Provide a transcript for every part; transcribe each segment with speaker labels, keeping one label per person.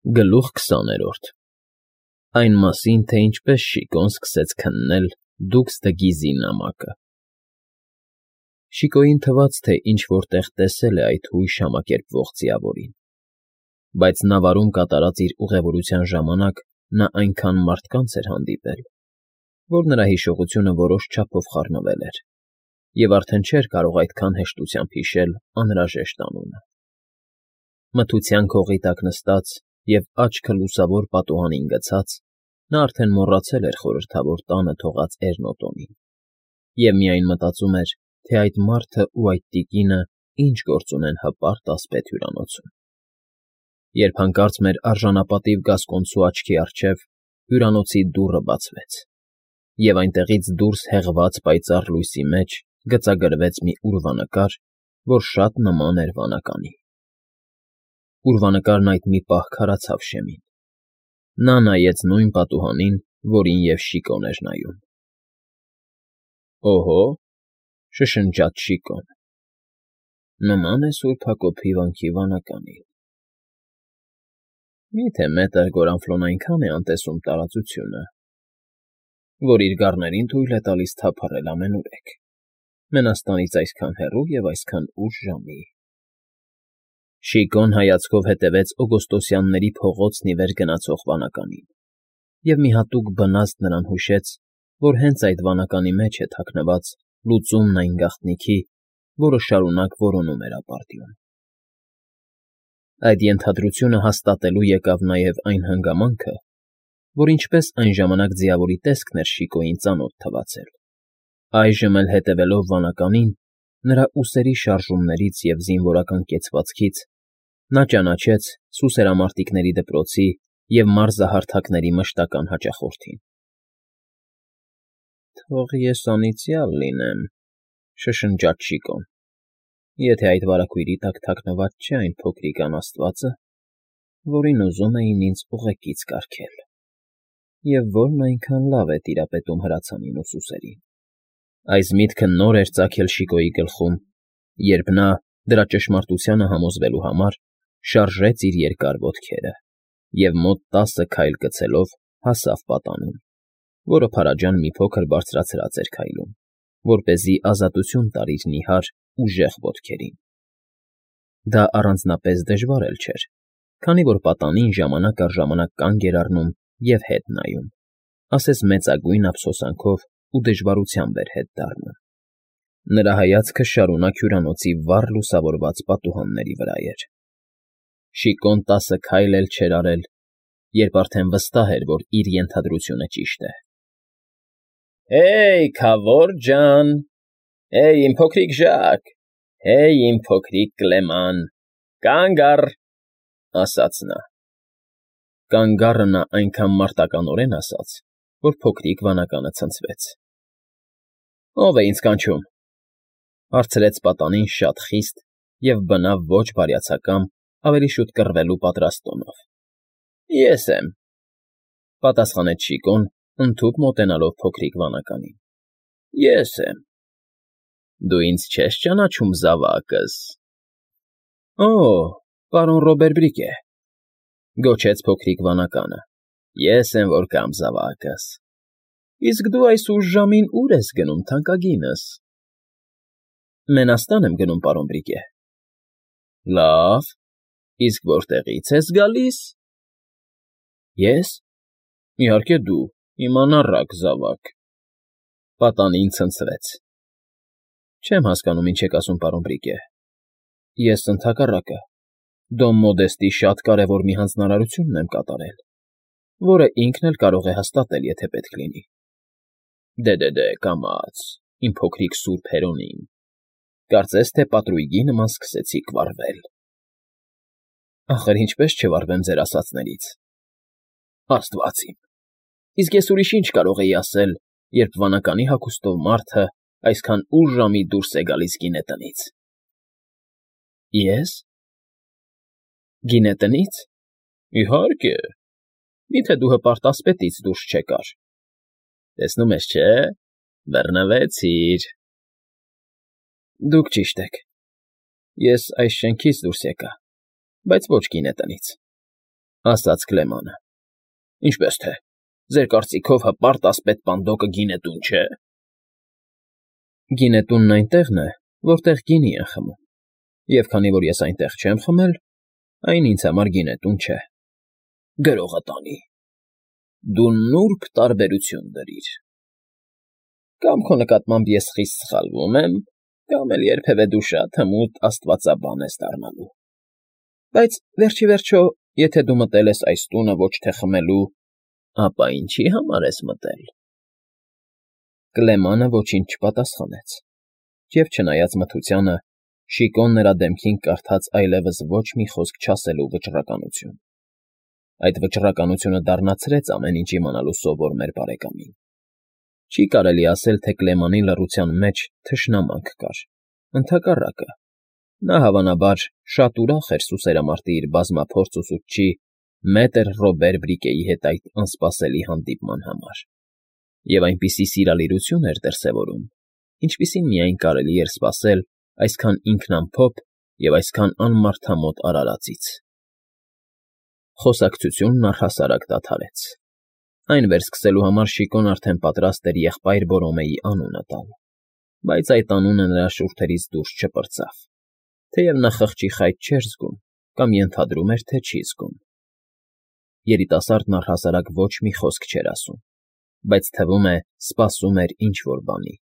Speaker 1: Գլուխ 20-րդ Այն մասին, թե ինչպես Շիկոն սկսեց քննել Դուքս-Դը-Գիզի նամակը։ Շիկոյին թվաց, թե ինչ֊որ տեղ տեսել է այդ հույժ համակերպվող ձիավորին, բայց նավարում կատարած իր ուղևորության ժամանակ նա այնքան մարդկանց էր հանդիպել, որ նրա հիշողությունը որոշ չափով խառնվել էր, և արդեն չէր կարող այդքան հեշտությամբ հիշել անհրաժեշտ անունը։ Մթության քողի տակ նստած և աչքը լուսավոր պատուհանին գցած՝ նա արդեն մոռացել էր խորհրդավոր տանը թողած Էրնոտոնին և միայն մտածում էր, թե այդ մարդն ու այդ տիկինը ինչ գործ ունեն հպարտ ասպետ հյուրանոցում, երբ հանկարծ մեր արժանապատիվ գասկոնցու աչքի առջև հյուրանոցի դուռը բացվեց, և այնտեղից դուրս հեղված պայծառ լույսի մեջ գծագրվեց մի ուրվանկար, որ շատ նման էր վանականի։ Ուրվանկարն այդ մի պահ քարացավ շեմին։ Նա նայեց նույն պատուհանին, որին և Շիկոն էր նայում։ «Օհո՜», շշնջաց Շիկոն, «նման է Սուրբ Հակոբի վանքի վանականին»։ Մի՞թե մետր Գորանֆլոն այնքան է անտեսում տարածությունը, որ իր գառներին թույլ է տալիս թափառել ամենուրեք, մենաստանից այսքան հեռու և այսքան ուշ ժամի։ Շիկոն հայացքով հետևեց օգոստոսյանների փողոցն ի վեր գնացող վանականին, և մի հատուկ բնազդ նրան հուշեց, որ հենց այդ վանականի մեջ է թաքնված լուծումն այն գաղտնիքի, որը շարունակ որոնում էր ապարդյուն։ Այդ ենթադրությունը հաստատելու եկավ նաև այն հանգամանքը, որ ինչպես այն ժամանակ ձիավորի տեսքն էր Շիկոյին ծանոթ թվացել, այժմ էլ հետևելով վանականին, նրա ուսերի շարժումներից և զինվորական կեցվածքից նա ճանաչեց սուսերամարտիկների դպրոցի և մարզահարթակների մշտական հաճախորդին։ «Թող ես անիծյալ լինեմ», շշնջաց Շիկոն, «եթե այդ վարագույրի տակ թաքնված չէ այն փոքրիկ անաստվածը, որին ուզում էին ինձ ուղեկից կարգել, և որն այնքան լավ է տիրապետում հրացանին ու սուսերին»։ Այս միտքը նոր էր ծագել Շիկոյի գլխում, երբ նա, դրա ճշմարտությանը համոզվելու համար, շարժեց իր երկար ոտքերը և մոտ 10 քայլ գցելով հասավ պատանուն, որը փարաջան մի փոքր բարձրացրած էր քայլում, որպեսզի ազատություն տար իր նիհար, ուժեղ ոտքերին։ Դա առանձնապես դժվար էլ չէր, քանի որ պատանին ժամանակ առ ժամանակ կանգ էր առնում և հետ նայում, ասես մեծագույն ափսոսանքով ու դժվարությամբ էր հետ դառնում։ Նրա հայացքը շարունակ հյուրանոցի վառ լուսավորված պատուհանների վրա էր։ Շիկոն 10 քայլ էլ չէր արել, երբ արդեն վստահ էր, որ իր ենթադրությունը ճիշտ է։ «Հե՜յ, Քավոր ջան, հե՜յ, իմ փոքրիկ Ժակ, հե՜յ, իմ փոքրիկ Կլեման, կանգ առ», ասաց նա։ «Կանգ առը» նա այնքան մարտականորեն ասաց, որ փոքրիկ վանականը ցնցվեց։ «Ո՞վ է ինձ կանչում», հարցրեց պատանին շատ խիստ և բնավ ոչ բարյացակամ, ավելի շուտ կռվելու պատրաստ տոնով։ «Ես եմ», պատասխանեց Շիկոն, ընդհուպ մոտենալով փոքրիկ վանականին։ «Ես եմ»։ «Դու ինձ չես ճանաչում, զավակս»։ «Օ՜, պարոն Ռոբեր Բրիկե», գոչեց փոքրիկ վանականը, «ես եմ, որ կամ, զավակս։ Իսկ դու այս ուշ ժամին ուր ես գնում, թանկագինս»։ «Մենաստան եմ գնում, պարոն Բրիկե»։ «Լավ, իսկ որտեղի՞ց ես գալիս»։ «Ես։ Իհարկե դու, իմ անառակ զավակ»։ Պատանին ցնցվեց։ «Չեմ հասկանում, ինչ եք ասում, պարոն Բրիկե։ Ես, ընդհակառակը, Դոն Մոդեստի շատ կարևոր մի հանձնարարություն ունեմ կատարել, որը ինքն էլ կարող է հաստատել, եթե պետք լինի»։ Դե, կամաց, իմ փոքրիկ սուրբ Հերոնիմ, կարծես թե պատրույգի նման սկսեցիք վարվել։ Ախր ինչպես չվարվեմ ձեր ասածներից։ Աստված իմ, իսկ ես ուրիշ ինչ կարող էի ասել, երբ վանականի հագուստով մարդը այսքան ուշ ժամի դուրս է գալիս գինետնից։ Ես։ Գինետնից։ Իհարկե։ Միթե դու հպարտ ասպետից դուրս չեկար։ Տեսնում ես, չէ՞, բռնվեցիր։ Դուք ճիշտ եք։ Ես այս շենքից դուրս եկա, բայց ոչ գինետնից։ ասաց Կլեմանը։ Ինչպես թե, ձեր կարծիքով հպարտ ասպետ պանդոկը գինետուն չէ։ Գինետունն այնտեղն է, որտեղ գինի են խմում, և քանի որ ես այնտեղ չեմ խմել, այն ինձ համար գինետուն չէ։ Գրողը տանի։ Դու նուրբ տարբերություն դրիր։ Կամ քո նկատմամբ ես խիստ սխալվում եմ, կամ էլ երբևէ դու շատ հմուտ աստվածաբան ես դառնալու։ Բայց վերջիվերջո, եթե դու մտել ես այս տունը ոչ թե խմելու, ապա ինչի համար ես մտել։ Կլեմանը ոչինչ չպատասխանեց, և չնայած մթությանը, Շիկոն նրա դեմքին կարդաց այլևս ոչ մի խոսք չասելու վճռականություն։ Այդ վճռականությունը դառնացրեց ամեն ինչ իմանալու սովոր մեր բարեկամին։ Չի կարելի ասել, թե Կլեմանի լռության մեջ թշնամանք կար, ընդհակառակը, նա հավանաբար շատ ուրախ էր սուսերամարտի իր բազմափորձ ուսուցչի մետր Ռոբեր Բրիկեի հետ այդ անսպասելի հանդիպման համար, և այնպիսի սիրալիրություն էր դրսևորում, ինչպիսին միայն կարելի էր սպասել այսքան ինքնամփոփ և այսքան անմարդամոտ արարածից։ Խոսակցությունն առհասարակ դադարեց։ Այն վերսկսելու համար Շիկոն արդեն պատրաստ էր եղբայր Բորոմեի անունը տալ, բայց այդ անունը նրա շուրթերից դուրս չպրծավ, թեև նա խղճի խայտ չէր զգում կամ ենթադրում էր, թե չի զգում։ Երիտասարդն առհասարակ ոչ մի խոսք չէր ասում, բայց թվում է սպասում էր ինչ֊որ բանի։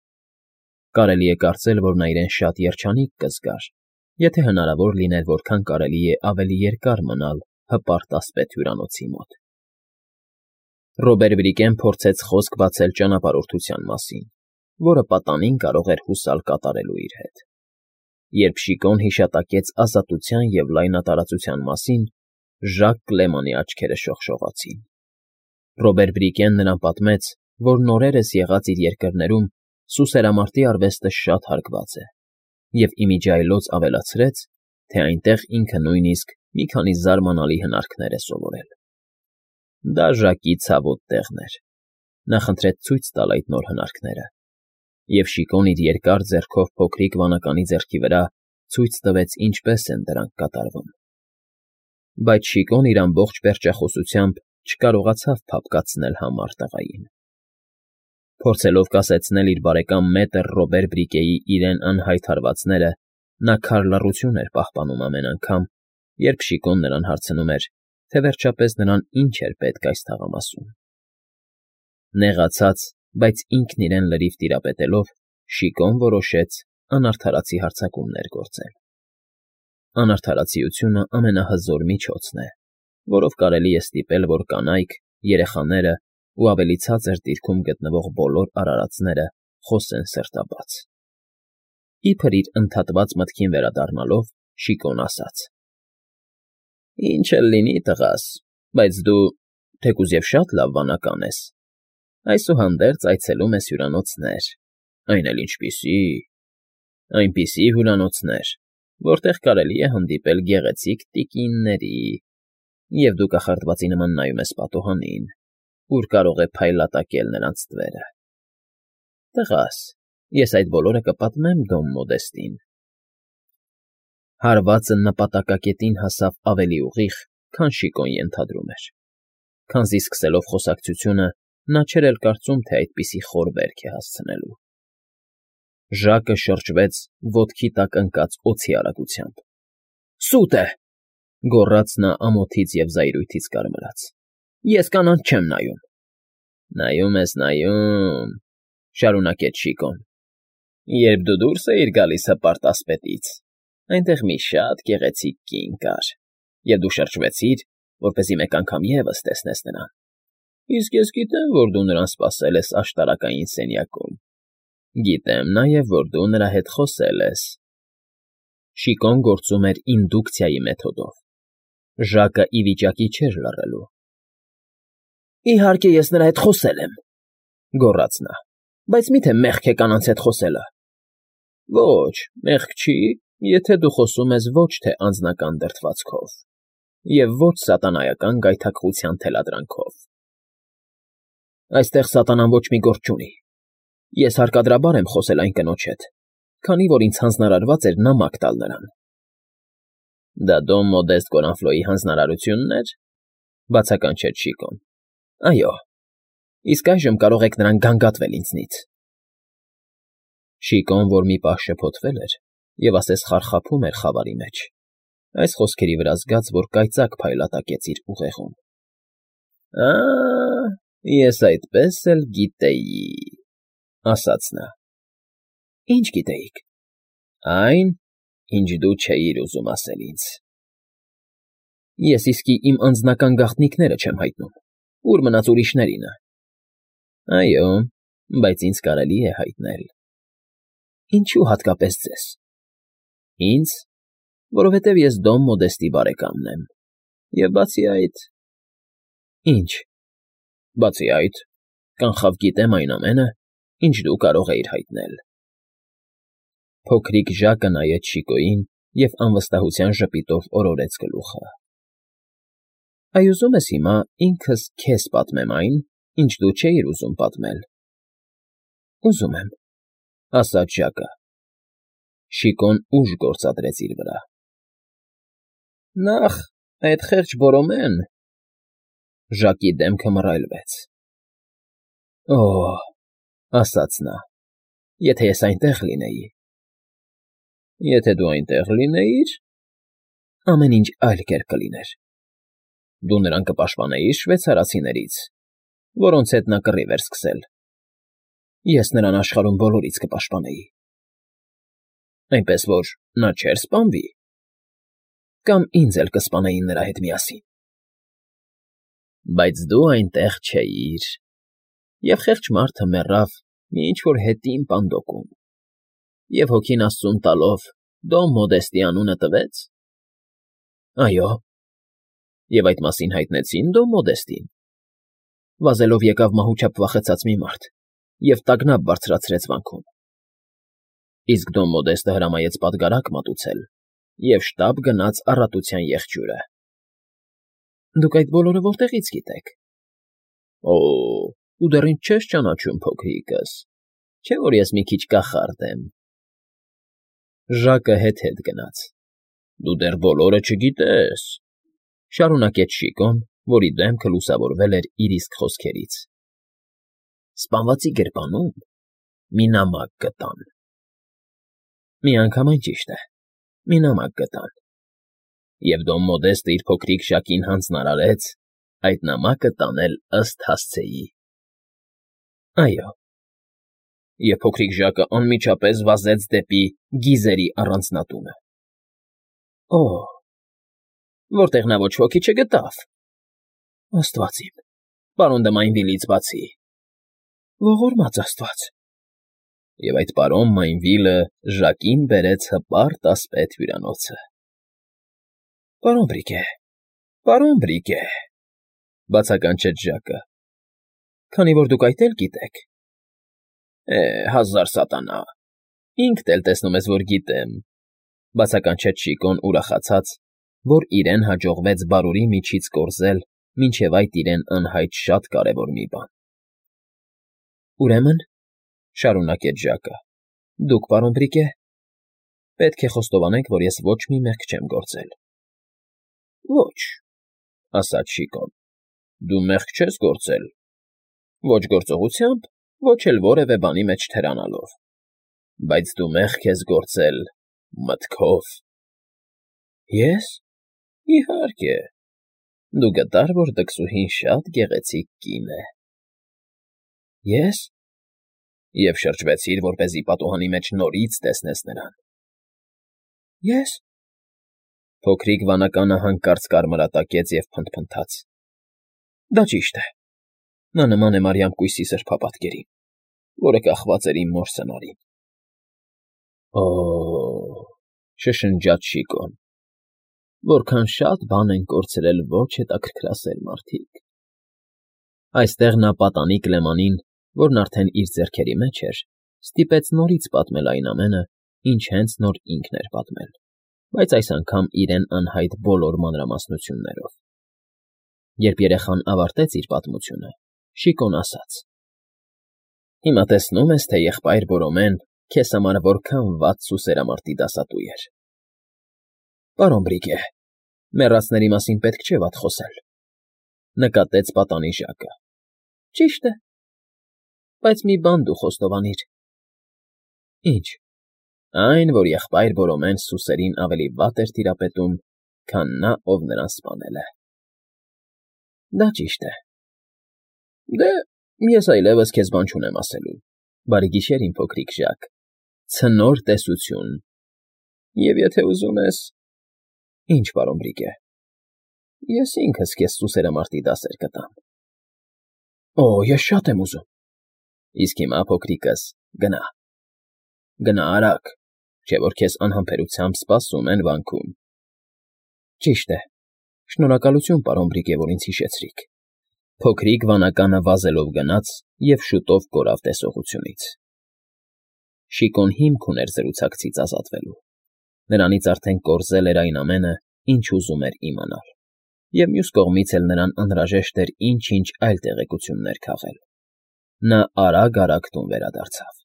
Speaker 1: Կարելի է կարծել, որ նա իրեն շատ երջանիկ կզգար, եթե հնարավոր լիներ որքան կարելի է ավելի երկար մնալ հպարտ ասպետ հյուրանոցի մոտ։ Ռոբեր Բրիկեն փորձեց խոսք բացել ճանապարհորդության մասին, որը պատանին կարող էր հուսալ կատարելու իր հետ։ Երբ Շիկոն հիշատակեց ազատության և լայնատարածության մասին, Ժակ Կլեմանի աչքերը շողշողացին։ Ռոբեր Բրիկեն նրան պատմեց, որ նորերս եղած իր երկրներում սուսերամարտի արվեստը շատ հարգված է, և իմիջիայլոց ավելացրեց, թե այնտեղ ինքը նույնիսկ մի քանի զարմանալի հնարքներ է սովորել։ Դա Ժակի ցավոտ տեղն էր։ Նա խնդրեց ցույց տալ այդ նոր հնարքները, և Շիկոն իր երկար ձեռքով փոքրիկ վանականի ձեռքի վրա ցույց տվեց ինչպես են դրանք կատարվում։ Բայց Շիկոն իր ամբողջ պերճախոսությամբ չկարողացավ փափկացնել համառ տղային։ Փորձելով կասեցնել իր բարեկամ մետր Ռոբեր Բրիկեի իրեն անհայտ հարվածները, նա քար լռություն էր պահպանում ամեն անգամ, երբ Շիկոն նրան հարցնում էր, թե վերջապես նրան ինչ էր պետք այս թաղամասում։ Նեղացած, բայց ինքն իրեն լրիվ տիրապետելով, Շիկոն որոշեց անարդարացի հարձակումներ գործել։ Անարդարացիությունը ամենահզոր միջոցն է, որով կարելի է ստիպել, որ կանայք, երեխաները ու ավելի ցածր դիրքում գտնվող բոլոր արարածները խոսեն սրտաբաց։ Իբր իր ընդհատված մտքին վերադառնալով, Շիկոն ասաց. Ինչ էլ լինի, տղաս, բայց դու, թեկուզ և շատ լավ վանական ես, այսուհանդերձ այցելում ես հյուրանոցներ, այն էլ ինչպիսի, այնպիսի հյուրանոցներ, որտեղ կարելի է հանդիպել գեղեցիկ տիկինների, և դու կախարդվածի նման նայում ես պատուհանին, ուր կարող է փայլատակել նրանց ստվերը։ Տղաս, ես այդ բոլորը կպատմեմ Դոն Մոդեստին։ Հարվածը նպատակակետին հասավ ավելի ուղիղ, քան Շիկոն ենթադրում էր, քանզի սկսելով խոսակցությունը նա չէր էլ կարծում, թե այդպիսի խոր վերք է հասցնելու։ Ժակը շրջվեց ոտքի տակ ընկած օձի արագությամբ։ Սուտ է,֊ գոռաց նա ամոթից և զայրույթից կարմրած։ Ես կանանց չեմ նայում։ Նայում ես, նայում,֊ շարունակեց Շիկոն։ Երբ դու դուրս էիր գալիս հպարտ ասպետից, այնտեղ մի շատ գեղեցիկ կին կար, և դու շրջվեցիր, որպեսզի մեկ անգամ ևս տեսնես նրան։ Իսկ ես գիտեմ, որ դու նրան սպասել ես աշտարակային սենյակում։ Գիտեմ նաև, որ դու նրա հետ խոսել ես։ Շիկոն գործում էր ինդուկցիայի մեթոդով։ Ժակը ի վիճակի չէր լռելու։ Իհարկե, ես նրա հետ խոսել եմ,֊ գոռաց նա,֊ բայց մի՞թե մեղք է կանանց հետ խոսելը։ Ոչ, մեղք չի, եթե դու խոսում ես ոչ թե անձնական դրդվածքով և ոչ սատանայական գայթակղության թելադրանքով։ Այստեղ սատանան ոչ մի գործ չունի։ Ես հարկադրաբար եմ խոսել այն կնոջ հետ, քանի որ ինձ հանձնարարված էր նամակ տալ նրան։ Դա Դոն Մոդեստ Կորանֆլոյի հանձնարարությունն էր։ Բացականչեց Շիկոն։ Այո, իսկ այժմ կարող եք նրան գանգատվել ինձնից։ Շիկոն, որ մի պահ շփոթվել էր և ասես խարխափում էր խավարի մեջ, այս խոսքերի վրա զգաց, որ կայծակ փայլատակեց իր ուղեղում։ Ես այդպես էլ գիտեի, ասաց նա։ Ինչ գիտեիք։ Այն, ինչ դու չէիր ուզում ասել ինձ։ Ես իսկի իմ անձնական գաղտնիքները չեմ հայտնում, ուր մնաց ուրիշներինը։ Այո, բայց ինձ կարելի է հայտնել։ Ինչու հատկապես ձեզ։ Ինձ, որովհետև ես Դոն Մոդեստի բարեկամն եմ, և բացի այդ… Ինչ։ Բացի այդ, կանխավ գիտեմ այն ամենը, ինչ դու կարող էիր հայտնել։ Փոքրիկ Ժակը նայեց Շիկոյին և անվստահության ժպիտով օրորեց գլուխը։ Այ ուզում ես հիմա ինքս քեզ պատմեմ այն, ինչ դու չէիր ուզում պատմել։ Ուզում եմ, ասաց Ժակը։ Շիկոն ուժ գործադրեց իր վրա։ Նախ, այդ խեղճ Բորոմեն… Ժակի դեմքը մռայլվեց։ Օհ, ասաց նա, եթե ես այնտեղ լինեի… Եթե դու այնտեղ լինեիր… Ամեն ինչ այլ կերպ կլիներ։ Դու նրան կպաշտպանեիր շվեյցարացիներից, որոնց հետ նա կռիվ էր սկսել։ Ես նրան աշխարհում բոլորից կպաշտպանեի։ Այնպես որ նա չէր սպանվի… Կամ ինձ էլ կսպանեին նրա հետ միասին։ Բայց դու այնտեղ չէիր, և խեղճ մարդը մեռավ մի ինչ֊որ հետին պանդոկում, և հոգին աստծուն տալով Դոն Մոդեստի անունը տվեց։ Այո, և այդ մասին հայտնեցին Դոն Մոդեստին։ Վազելով եկավ մահուչափ վախեցած մի մարդ և տագնապ բարձրացրեց վանքում։ Իսկ Դոն Մոդեստը հրամայեց պատգարակ մատուցել և շտապ գնաց առատության եղջյուրը։ Դուք այդ բոլորը որտեղից գիտեք։ Օ, դու դեռ ինձ չես ճանաչում, փոքրիկս, չէ՞ որ ես մի քիչ կախարդ եմ։ Ժակը հետ գնաց։ Դու դեռ բոլորը չգիտես, շարունակեց Շիկոն, որի դեմքը լուսավորվել էր իր իսկ խոսքերից։ Սպանվածի գրպանում մի նամակ գտան։ Միանգամայն ճիշտ է, մի նամակ գտան։ Եվ Դոն Մոդեստը իր փոքրիկ Ժակին հանձնարարեց այդ նամակը տանել ըստ հասցեի։ Այո։ Եվ փոքրիկ Ժակը անմիջապես վազեց դեպի գիզերի առանձնատունը։ Օհ, որտեղ նա ոչ ոքի չգտավ։ Աստված իմ, պարոն դե Մայնվիլից բացի… Ողորմած աստված… Եվ այդ պարոն Մայնվիլը Ժակին բերեց հպարտ ասպետ հյուրանոցը։ Պարոն Բրիգե, բացականչեց Ժակը, քանի որ դուք այդ էլ գիտեք։ Հազար սատանա, ինքդ էլ տեսնում ես, որ գիտեմ, բացականչեց Շիկոն ուրախացած, որ իրեն հաջողվեց բարուրի միջից կորզել մինչև այդ իրեն անհայտ շատ կարևոր մի բան։ Ուրեմն, շարունակեց Ժակը, դուք, պարոն Բրիգե, պետք է խոստովանեք, որ ես ոչ մի մեղք չեմ գործել։ Ոչ, ասաց Շիկոն, դու մեղք չես գործել, ոչ գործողությամբ, ոչ էլ որևէ բանի մեջ թերանալով, բայց դու մեղք ես գործել մտքով։ Ես։ Իհարկե, դու գտար, որ դքսուհին շատ գեղեցիկ կին է։ Ես։ Եվ շրջվեցիր, որպեսզի պատուհանի մեջ նորից տեսնես նրան։ Ես։ Փոքրիկ վանականը հանկարծ կարմրատակեց և փնթփնթաց։ Դա ճիշտ է։ Նա նման է Մարիամ կույսի սրբապատկերին, որը կախված էր իմ մոր սնարին։ Օ՜, շշնջաց Շիկոն, որքան շատ բան են կորցրել ոչ հետաքրքրասեր մարդիկ։ Այստեղ նա պատանիկ Լեմանին, որն արդեն իր ձեռքերի մեջ էր, ստիպեց նորից պատմել այն ամենը, ինչ հենց նոր ինքն էր պատմել, բայց այս անգամ իրեն անհայտ բոլոր մանրամասնություններով։ Երբ երեխան ավարտեց իր պատմությունը, Շիկոն ասաց. Հիմա տեսնում ես, թե եղբայր Բորոմեն քեզ համար որքան վատ սուսերամարտի դասատու էր։ Պարոն Բրիգե, մեռածների մասին պետք չէ վատ խոսել։ Նկատեց պատանի ժակը։ Ճիշտ է, բայց մի բան դու խոստովանիր։ Ինչ։ Այն, որ եղբայր Որոմեն սուսերին ավելի վատ էր տիրապետում, քան նա, ով նրան սպանել է։ Դա ճիշտ է։ Դե, ես այլևս քեզ բան չունեմ ասելու։ Բարի գիշեր, իմ փոքրիկ Ժակ։ Ցնոր տեսություն։ Եվ եթե ուզում ես… Ինչ, պարոն Բրիգե, ես ինքս քեզ սուսերամարտի դասեր կտամ։ Օ, ես շատ եմ ուզում։ Իսկ հիմա, փոքրիկս, գնա։ Գնա արագ, չէ որ քեզ անհամբերությամբ սպասում են վանքում։ Ճիշտ է։ Շնորհակալություն, պարոն Բրիգե, որ ինձ հիշեցրիք։ Փոքրիկ վանականը վազելով գնաց և շուտով կորավ տեսողությունից։ Շիկոն հիմք ուներ զրուցակցից ազատվելու։ Նրանից արդեն կորզել էր այն ամենը, ինչ ուզում էր իմանալ, և մյուս կողմից էլ նրան անհրաժեշտ էր ինչ-ինչ այլ տեղեկություններ քաղել։ Նա արագ տուն վերադարձավ։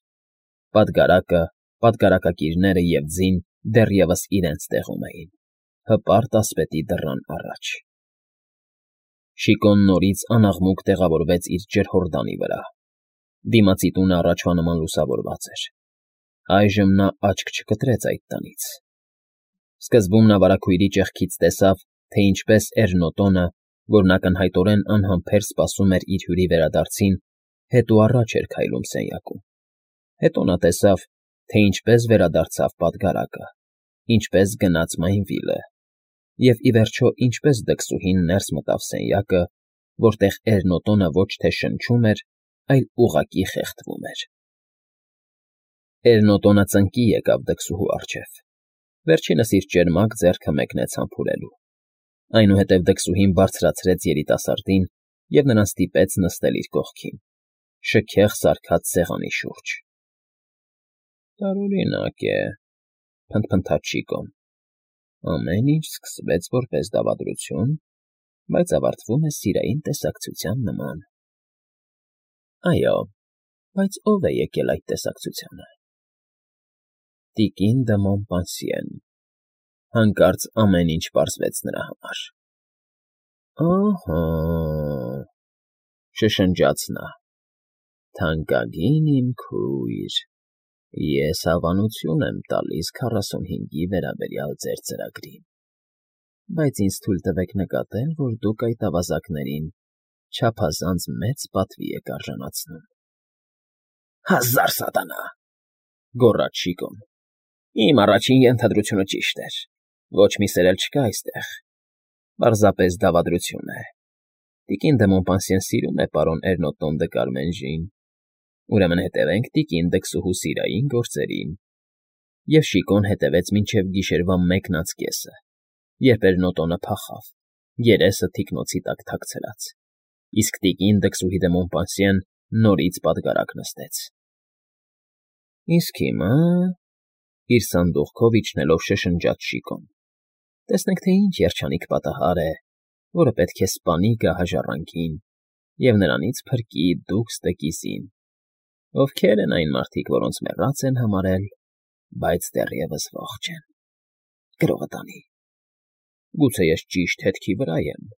Speaker 1: Պատգարակը, պատգարակակիրները և ձին դեռևս իրենց տեղում էին, հպարտ ասպետի դռան առաջ։ Շիկոն նորից անաղմուկ տեղավորվեց իր ջրհորդանի վրա։ Դիմացի տունը առաջվա նման լուսավորված էր։ Այժմ նա աչք չկտրեց այդ տնից։ Սկզբում նա վարագույրի ճեղքից տեսավ, թե ինչպես Էրնոտոնը, որն ակնհայտորեն անհամբեր սպասում էր իր հյուրի վերադարձին, հետո առաջ էր քայլում սենյակում։ Հետո նա տեսավ, թե ինչպես վերադարձավ պատգարակը, ինչպես գնաց Մայնվիլը, և, ի վերջո, ինչպես դքսուհին ներս մտավ սենյակը, որտեղ Էրնոտոնը ոչ թե շնչում էր, այլ ուղղակի խեղդվում էր։ Էրնոտոնը ծնկի եկավ դքսուհու առջև։ Վերջինս իր ճերմակ ձեռքը մեկնեց համբուրելու։ Այնուհետև դքսուհին բարձրացրեց երիտասարդին և նրան ստիպեց նստել իր կողքին, շքեղ սարքած սեղանի շուրջ։ Տարօրինակ է, փնթփնթաց Շիկոն։ Ամեն ինչ սկսվեց որպես դավադրություն, բայց ավարտվում է սիրային տեսակցության նման։ Այո, բայց ո՞վ է եկել այդ տեսակցությանը։ Տիկին դը Մոմպանսիեն։ Հանկարծ ամեն ինչ պարզվեց նրա համար։ Ահա, շշնջաց նա, թանկագին իմ քույր, ես հավանություն եմ տալիս 45-ի վերաբերյալ ձեր ծրագրին, բայց ինձ թույլ տվեք նկատել, որ դուք այդ ավազակներին չափազանց մեծ պատվի եք արժանացնում։ Հազար սատանա, գոռաց Շիկոն։ Իմ առաջին ենթադրությունը ճիշտ էր։ Ոչ մի սեր էլ չկա այստեղ։ Պարզապես դավադրություն է։ Տիկին դը Մոմպանսիեն սիրում է պարոն Էրնոտոն դը Կարմենժին։ Ուրեմն հետևենք տիկին դքսուհու սիրային գործերին։ Եվ Շիկոն հետևեց մինչև գիշերվա 1:10, երբ Էրնոտոնը փախավ, երեսը թիկնոցի տակ թաքցրած, իսկ տիկին դքսուհի դը Մոմպանսիեն նորից պատգարակ նստեց։ Իսկ հիմա, իր սանդուղքով իջնելով շշնջաց Շիկոն, տեսնենք, թե ինչ երջանիկ պատահար է, որը պետք է սպանի գահաժառանգին և նրանից փրկի դուքս տկիզին, ովքեր են այն մարդիկ, որոնց մեռած են համարել, բայց դեռևս ողջ են։ Գրողը տանի։ Գուցե ես ճիշտ հետքի վրա եմ,